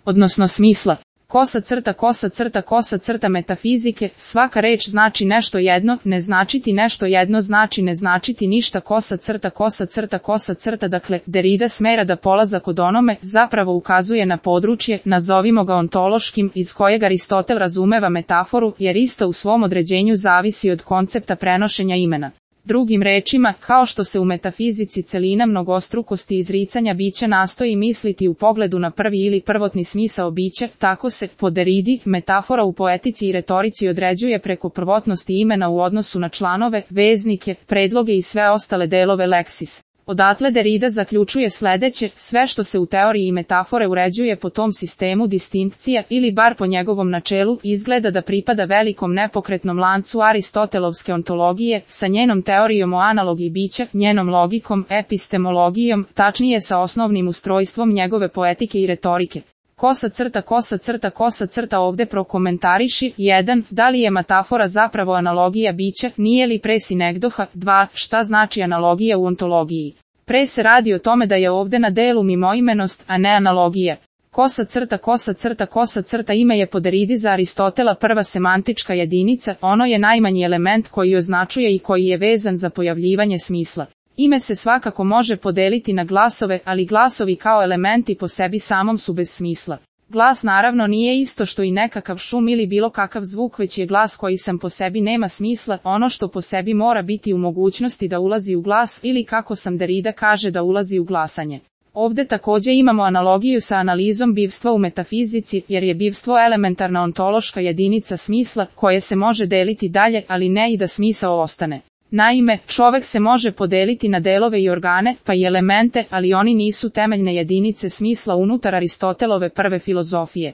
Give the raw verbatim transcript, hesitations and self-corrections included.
odnosno smisla. Kosa crta, kosa crta, kosa crta metafizike, svaka reč znači nešto jedno, ne značiti nešto jedno znači ne značiti ništa, kosa crta, kosa crta, kosa crta, dakle, Derrida smera da polazak od onome zapravo ukazuje na područje, nazovimo ga ontološkim, iz kojeg Aristotel razumeva metaforu, jer ista u svom određenju zavisi od koncepta prenošenja imena. Drugim rečima, kao što se u metafizici celina mnogostrukosti izricanja bića nastoji misliti u pogledu na prvi ili prvotni smisao bića, tako se, po Derridi, metafora u poetici i retorici određuje preko prvotnosti imena u odnosu na članove, veznike, predloge i sve ostale delove leksis. Odatle Derrida zaključuje sledeće, sve što se u teoriji metafore uređuje po tom sistemu distinkcija ili bar po njegovom načelu izgleda da pripada velikom nepokretnom lancu Aristotelovske ontologije sa njenom teorijom o analogiji bića, njenom logikom, epistemologijom, tačnije sa osnovnim ustrojstvom njegove poetike i retorike. Kosa crta, kosa crta, kosa crta ovde prokomentariši, jedan. Da li je metafora zapravo analogija bića, nije li pre sinegdoha, dva. Šta znači analogija u ontologiji? Pre se radi o tome da je ovde na delu mimoimenost, a ne analogija. Kosa crta, kosa crta, kosa crta ime je po Derridi za Aristotela prva semantička jedinica, ono je najmanji element koji označuje i koji je vezan za pojavljivanje smisla. Ime se svakako može podeliti na glasove, ali glasovi kao elementi po sebi samom su bez smisla. Glas naravno nije isto što i nekakav šum ili bilo kakav zvuk, već je glas koji sam po sebi nema smisla, ono što po sebi mora biti u mogućnosti da ulazi u glas ili kako sam Derrida kaže da ulazi u glasanje. Ovde takođe imamo analogiju sa analizom bivstva u metafizici, jer je bivstvo elementarna ontološka jedinica smisla, koje se može deliti dalje, ali ne i da smisao ostane. Naime, čovek se može podeliti na delove i organe, pa i elemente, ali oni nisu temeljne jedinice smisla unutar Aristotelove prve filozofije.